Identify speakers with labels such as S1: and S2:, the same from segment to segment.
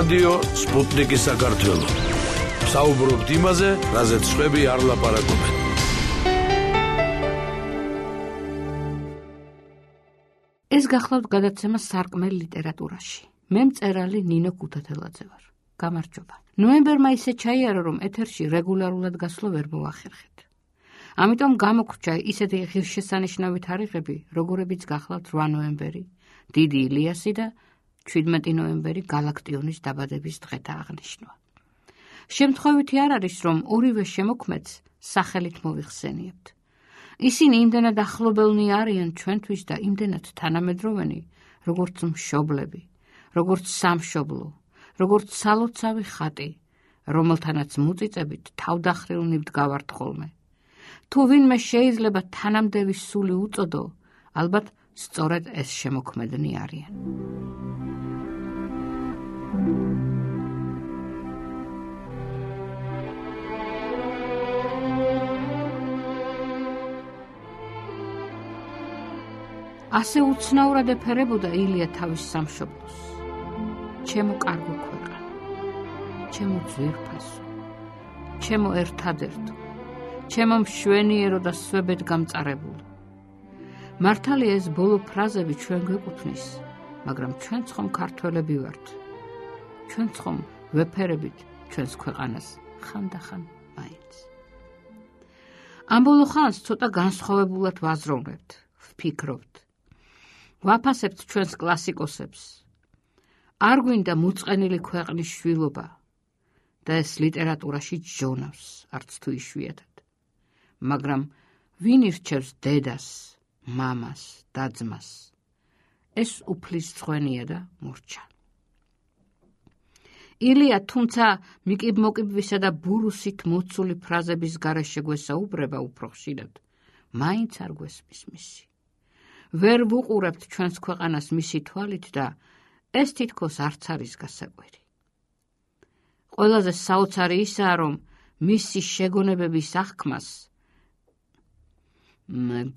S1: რადიო სპუტნიკი საქართველო. საუბრობთ იმაზე, რაზეც სხვები არ ლაპარაკობენ.
S2: ეს გახლავთ გადაცემა სარკმელ ლიტერატურაში. მე მწერალი ნინო ქუთათელაძე ვარ. გამარჯობა. ნოემბერმა ისე ჩაიარა, რომ ეთერში რეგულარულად გასვლა ვერ მოახერხეთ. ამიტომ გამოგრჩა ისეთი ღირსშესანიშნავი თარიღები, როგორებიც გახლავთ 8 ნოემბერი, დიდი ილიასი და 17 ნოემბერი გალაქტიონის დაბადების დღეთა აღნიშვნა. შემთხვევითი არ არის, რომ ორივე შემოქმედს სახელით მოვიხსენიებთ. ისინი იმდენად ახლობელნი არიან ჩვენთვის და იმდენად თანამედროვენი, როგორც მშობლები, როგორც სამშობლო, როგორც სალოცავი ხატი, რომელთანაც მუწიწებით თავდახრილნი ვდგავართ ხოლმე. თუ ვინმე შეიძლება თანამდევი სული უწოდო, ალბათ სწორედ ეს შემოქმედნი არიან. ასე უცნაურად ეფერებოდა ილია თავის სამშობლოს. ჩემო კარგო ქვეყანა, ჩემო ძვირფასო, ჩემო ერთადერთო, ჩემო მშვენიერო და სვებედ გამწარებულო. მართალია ეს ბოლო ფრაზები ჩვენ გვეკუთვნის, მაგრამ ჩვენც ხომ ქართველები ვართ. ჩვენც ხომ ვეფერებით ჩვენს ქვეყანას ხანდახან მაინც. ამ ბოლო ხანს ცოტა განსხვავებულად ვაზროვნებთ, ვფიქრობთ. ვაფასებთ ჩვენს კლასიკოსებს. არ გვინდა მოწყენილი ქვეყნის შვილობა და ეს ლიტერატურაში ჯონავს, არც თუ იშვიათად. მაგრამ ვინ ირჩევს დედას, მამას, და-ძმას? ეს უფლის ცხენია და მურჩა. ილია თუმცა მიკიბ-მოკიბვისა და ბურუსით მოცული ფრაზების გარეშე გვესაუბრება უფრო ხშირად, მაინც არ გვესმის მისი. ვერ ვუყურებთ ჩვენს ქვეყანას მისი თვალით და ეს თითქოს არც არის გასაკვირი. ყველაზე საოცარი ისაა, რომ მისი შეგონებების აღქმას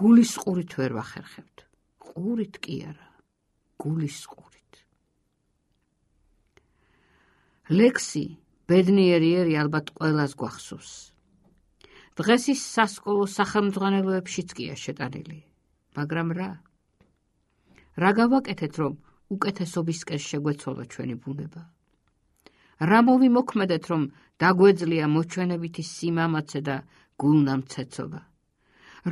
S2: გულის ყურით ვერ ვახერხებთ. ყურით კი არა, გულის ყურით. ლექსი ბედნიერიერი ალბათ ყველას გვახსოვს. დღეს ის სასკოლო სახელმძღვანელოებშიც კია შეტანილი. მაგრამ რა გავაკეთეთ, რომ უკეთესობისკენ შეგვეცვალა ჩვენი ბუნება? რა მოვიმოქმედეთ, რომ დაგვეძლია მოჩვენებითი სიმამაცე და გულნამცეცობა?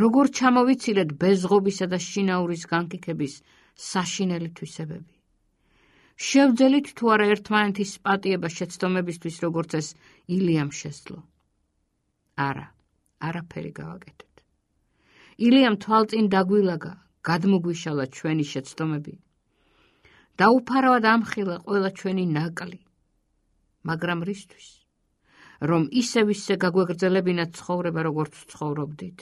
S2: როგორ ჩამოვიცილეთ ბეზღობისა და შინაურის განკიქების საშინელი თვისებები? შევძელით თუ არა ერთმანეთის პატიება შეცდომებისთვის, როგორც ეს ილიამ შესძლო? არა, არაფერი გავაკეთეთ. ილიამ თვალწინ დაგვილაგა, გადმოგვიშალა ჩვენი შეცდომები. დაუფარავად ამხილა ყველა ჩვენი ნაკლი. მაგრამ რისთვის? რომ ისე გაგვეგრძელებინა ცხოვრება, როგორც ცხოვრობდით?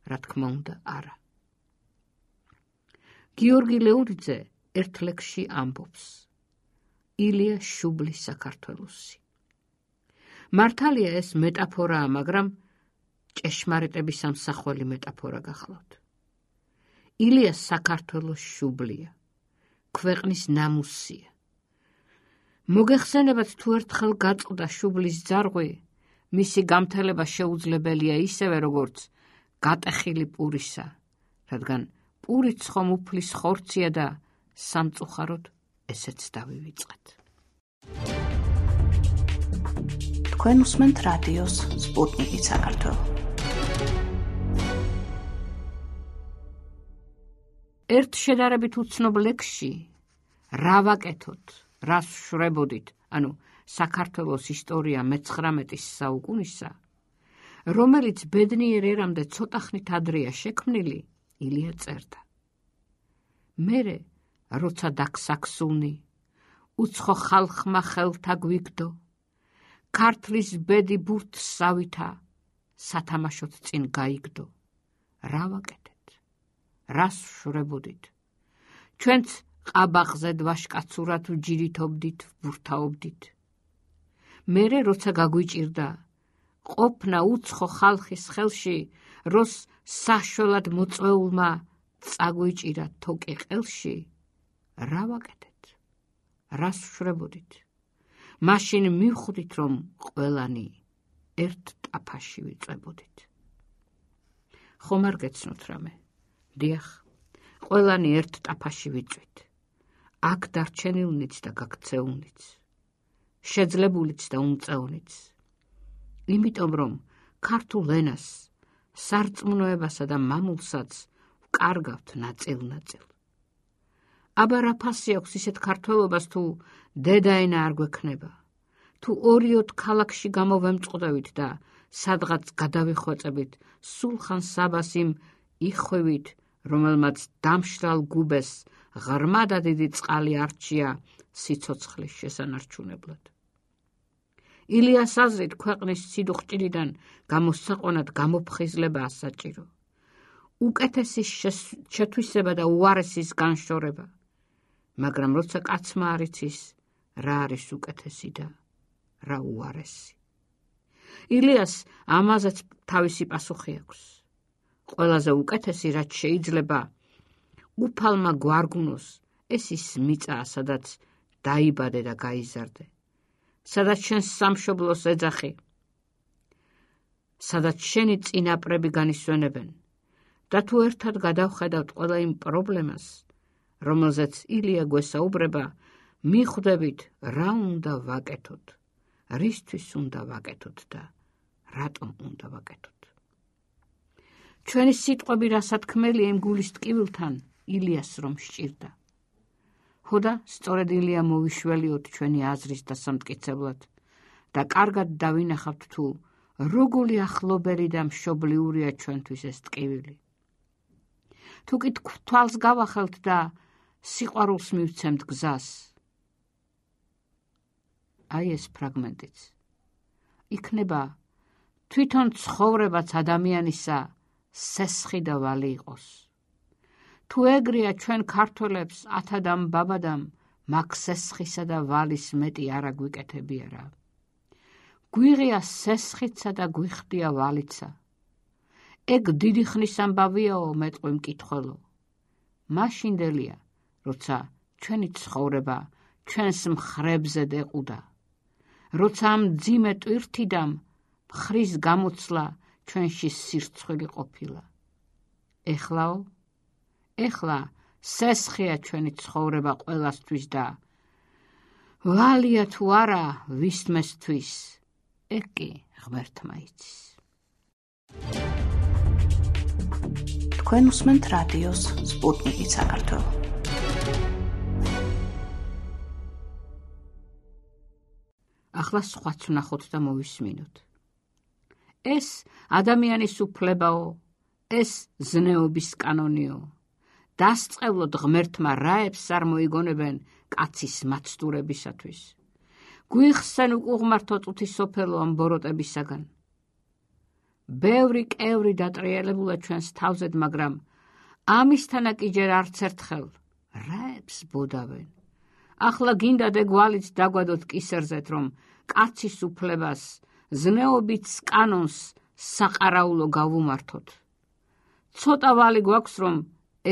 S2: რა თქმა უნდა, არა. გიორგი ლეურიძე ერთ ლექსში ამბობს: ილია შუბლის საქართველოსი. მართალია ეს მეტაფორაა, მაგრამ ჭეშმარიტების ამსახველი მეტაფორა გახლავთ. ილია საქართველოს შუბლია, ქვეყნის ნამუსია. მოგეხსენებათ თუ ერთხელ გაწყდა შუბლის ძარღვი, მისი გამთელება შეუძლებელია ისევე, როგორც გატეხილი პურისა, რადგან პურიც ხომ უფლის ხორცია და სამწუხაროდ ესეც დავივიწყეთ.
S3: თქვენ უსმენთ რადიოს სპუტნიკი საქართველო.
S2: ერთ შედარებით უცნობ ლექსში რა ვაკეთოთ, რას ვშვრებოდით, ანუ საქართველოს ისტორია მე-19 საუკუნისა, რომელიც ბედნიერ ერამდე ცოტახნით ადრეა შექმნილი, ილია წერდა. მერე, როცა დაგსაქსულნი, უცხო ხალხმა ხელთა გვიგდო, ქართლის ბედი ბურთსავითა, სათამაშოდ წინ გაიგდო. რა ვაკეთეთ? რას ვშვრებოდით? ჩვენც ყაბაღზე დვაშკაცურად ვჯირითობდით, ვბურთაობდით. მერე, როცა გაგვიჭირდა, ყოფნა უცხო ხალხის ხელში, როს საშველად მოწვეულმა წაგვიჭირა თოკი ყელში, რა ვაკეთეთ? რას ვშვრებოდით? მაშინ მივხვდით, რომ ყველანი ერთ ტაფაში ვიწვებოდით. ხომ არ გეცნოთ რამე? დიახ, ყველანი ერთ ტაფაში ვიწვით. აქ დარჩენილნიც და გაქცეულნიც, შეძლებულიც და უმწევნიც. იმიტომ რომ ქართულ ენას, სარწმუნოებასა და მამულსაც ვკარგავთ ნაწილ-ნაწილ. აბა რა ფასი აქვს ისეთ ქართველობას, თუ დედაენა არ გვექნება, თუ 2-4 ქალაქში გამოვემწყდებით და სადღაც გადავიხვეწებით სულხან საბას იმ იხვევით, რომელმაც დამშრალ გუბეს ღრმა და დიდი წყალი არჩია სიცოცხლის შესანარჩუნებლად. ილიას აზრით ქვეყნის სიდუხჭირიდან გამოსაყვანად გამოფხიზლება ასაჭირო. უკეთესის შეთვისება და უარესის განშორება. მაგრამ როცა კაცმა არ იცის, რა არის უკეთესი და რა უარესი. ილიას ამაზეც თავისი პასუხი აქვს. ყველაზე უკეთესი, რაც შეიძლება უფალმა გვარგუნოს, ეს ის მიწაა, სადაც დაიბადე და გაიზარდე, სადაც შენს სამშობლოს ეძახი, სადაც შენი წინაპრები განისვენებენ და თუ ერთად გადავხედავთ ყველა იმ პრობლემას, რომელზეც ილია გვესაუბრება, მიხვდებით, რა უნდა ვაკეთოთ, რისთვის უნდა ვაკეთოთ და რატომ უნდა ვაკეთოთ. ჩვენი სიტყვები რა სათქმელია იმ გულის ტკივილთან, ილიას რომ სჭირდა. ხოდა სწორედ ილია მოვიშველიოთ ჩვენი აზრის დასამტკიცებლად და კარგად დავინახავთ, თუ როგორი ახლობელი და მშობლიურია ჩვენთვის ეს ტკივილი. თუ კი თვალს გავახელთ და სიყვარულს მივცემთ გზას. აი ეს ფრაგმენტიც. იქნება თვითონ ცხოვრებაც ადამიანისა სესხი და ვალი იყოს. თუ ეგრეა ჩვენ ქართველებს ათადამ ბაბადამ მაგ სესხისა და ვალის მეტი არ აგვიკეთებია რა. გვიღია სესხიცა და გვიხდია ვალიცა. ეგ დიდი ხნის ამბავიაო მეტყვი მკითხველო. მაშინდელია, როცა ჩვენი ცხოვრება ჩვენს მხრებზე დეყუდა. როცა ამ ძიმე ტვირთიდამ მხრის გამოცლა ჩვენში სირცხვილი ყოფილა. ეხლა სესხია ჩვენი ცხოვრება ყველასთვის და ვალია თუ არა ვისმესთვის, ეგ კი ღმერთმა იცის.
S3: თქვენ უსმენთ რადიოს სპუტნიკი საქართველო.
S2: ახლა სხვაც ვნახოთ და მოვისმინოთ. ეს ადამიანის უფლებაო, ეს ზნეობის კანონიო. დასწყევლოდ ღმერთმა რაებს არ მოიგონებენ კაცის მაცდურებისათვის. გვიხსენ უკუღმართო წუთისოფელო ამ ბოროტებისაგან. ბევრი კევრი დატრიალებულა ჩვენს თავზედ, მაგრამ ამისთანა კი ჯერ არც ერთხელ რაებს ბოდავენ. ახლა გინდა დეგვალიც დაგვადოთ კისერზეთ, რომ კაცის უფლებას, ზნეობით კანონს საყარაულო გავუმართოთ. ცოტა ვალი გვაქვს, რომ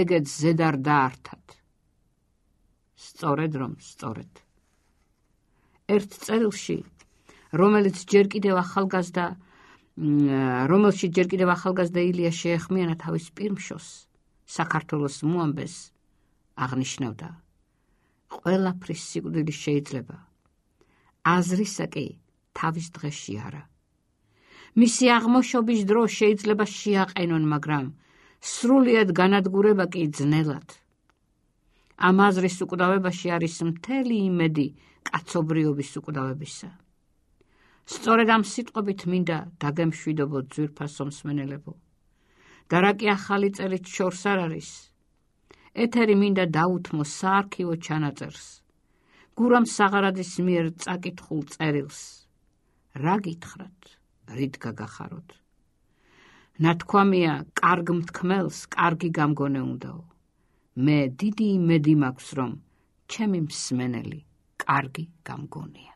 S2: ეგეც ზედარ დაართად. სწორედ რომ სწორედ. ერთ წერილში, რომელშიც ჯერ კიდევ ახალგაზრდა ილია შეეხმიანა თავის პირმშოს, საქართველოს მოამბეს, აღნიშნავდა: ყველაფრის სიკვდილი შეიძლება, აზრისა კი თავის დღეში არა. მისი აღმოშობის დრო შეიძლება შეაყენონ, მაგრამ სრულიად განადგურება კი ძნელად. ამ აზრის უკვდავებაში არის მთელი იმედი კაცობრიობის უკვდავებისა. სწორედ ამ სიტყვებით მინდა დაგემშვიდობოთ ძვირფასო მსმენელებო. და რა კი ახალი წელით შორს არ არის, ეთერი მინდა დაუთმო საარქივო ჩანაწერს, გურამ საღარაძის მიერ წაკითხულ წერილს. რა გითხრათ, რით გაგახაროთ? ნათქვამია, კარგ მთქმელს კარგი გამგონე უნდაო. მე დიდი იმედი მაქვს, რომ ჩემი მსმენელი კარგი გამგონია.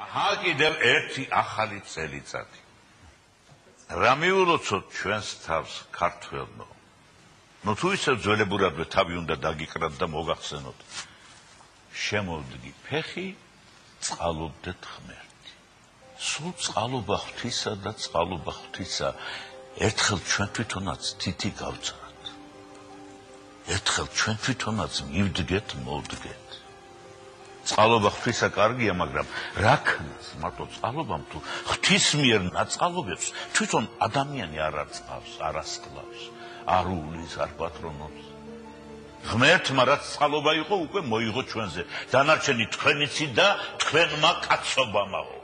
S4: აჰა, კიდევ ერთი ახალი წელიწადი. რა მიულოცოთ ჩვენს თავს ქართველნო? თუ ისევ ძველებურადვე თავი უნდა დაგიკრათ და მოგახსენოთ. შემოვდგი ფეხი, წყალობდეთ ღმერთი. სულ წყალობა ღვთისა და წყალობა ღვთისა ერთხელ ჩვენ თვითონაც თითი გავწრათ. ერთხელ ჩვენ თვითონაც მივდგეთ, მოვდგეთ. წყალობა ღვთისა კარგია, მაგრამ რა ქნას მარტო წყალობამ თუ ღვთის მიერ ნაწყალობებს თვითონ ადამიანი არ არწყავს, არ ასკლავს, არ უვლის, არ პატრონობს. ღმერთმა რაც წყალობა იყო, უკვე მოიღო ჩვენზე. დანარჩენი თქვენიცი და თქვენმა კაცობამაო.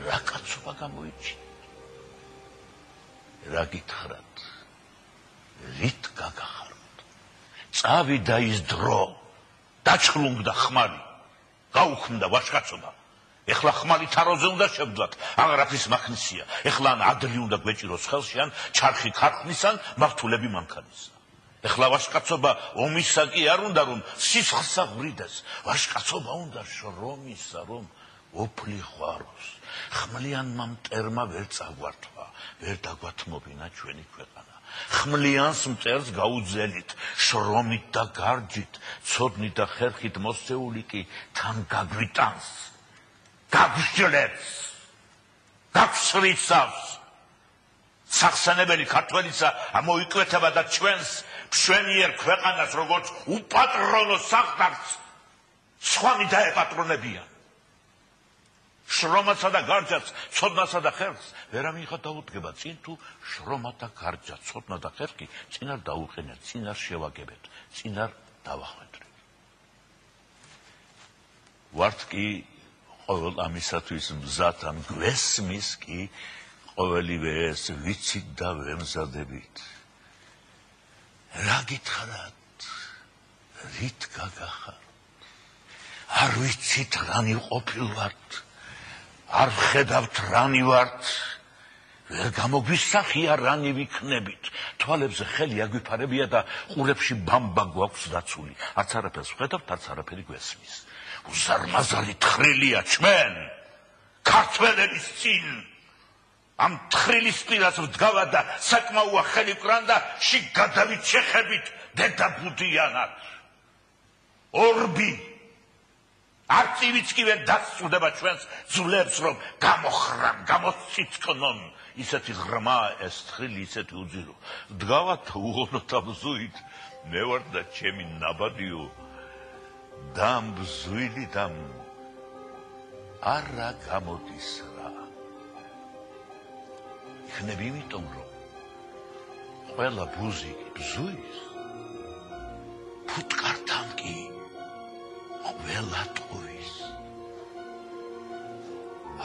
S4: რა კაცობა გამოიჩინეთ? რა გითხრათ? რით გაგახაროთ? წავიდა ის დრო, დაჩხლუნდა ხმალი, გაუქმდა ვაჟკაცობა. ეხლა ხმალი თაროზე უნდა შევდვათ, აღარაფრის მახნისია. ეხლა ან ადლი უნდა გვეჭიროს ხელში, ან ჩარხი ქარხნის, ან მართულები მანქანისა. ეხლა ვაჟკაცობა ომისა კი არ უნდა, რომ სისხლსა ვრიდეს. ვაჟკაცობა უნდა შრომისა, რომ ოფლი ხვაროს. ხმლიანმა მტერმა ვერ წაგვართვა, ვერ დაგვათმობინა ჩვენი ქვეყანა. ხმლიანს მტერს გაუძელით, შრომით და გარჯით, ცოდნით და ხერხით მოსწეული კი თან გაგვიტანს, გაგსჯლებს, გაგსრიცავს. სახსენებელი ქართველისა ამოიკვეთება და ჩვენს მშვენიერ ქვეყანას როგორც უპატრონო სახტარს სხვანი დაეპატრონებიან. შრომასა და გარჯაც, ცოდნასა და ხერხს ვერ ამიღა დაუდგება, წინ თუ შრომა და გარჯა, ცოდნა და ხერხი წინ არ დაუყენეთ, წინ არ შევაგებეთ, წინ არ დავახვედრეთ. ვართ კი ყოველ ამისათვის მზად ან გვესმის კი ყოველივე ეს ვიცით და ვემზადებით. რა გითხრათ? რით გაგახართ? არ ვიცით რანი ყოფილვართ, არ ხედავთ რანი ვართ, ვერ გამოგვისახია რანი ვიქნებით. თვალებზე ხელი აგვიფარებია და ყურებში ბამბა გვაქვს დაცული. არც არაფერს ვხედავთ, არც არაფერი გვესმის. უზარმაზარი თხრილია ჩვენ, ქართველების წინ. ამ თხრილის პირას ვდგავა და საკმაოა ხელი ვკრან და შიგ გადავით შეხებით დედაბუდიანად. ორბი არწივიც კი ვერ დასწრდება ჩვენს ძვლებს, რომ გამოხრან, გამოციცკნონ. ისეთი ღრმა ეს თხრილი, ისეთი უძირო. ვდგავათ უღონოთ ამ ზუით, მე ვარ და ჩემი ნაბადიო, დამბზვილი დამ არა გამოდის რა. იქნებ იმიტომ, რომ ყველა ბუზი ბზუის, ფუტკართან კი ყველა ტყუის.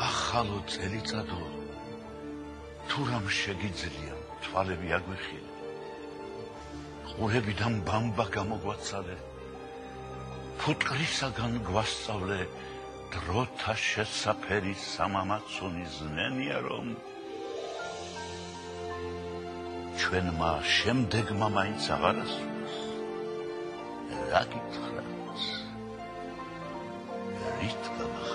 S4: ახალო წელიწადო, თუ რამ შეგიძლია, თვალები აგვიხილე, ყურებიდან ბამბა გამოგვაცალე, ფუტკრისაგან გვასწავლე, დროთა შესაფერი სამამაცუნი ზნენია, რომ ჩვენმა შემდეგმა მაინც აღარ ასულს. რა გითხრათ? რით გაგახაროთ?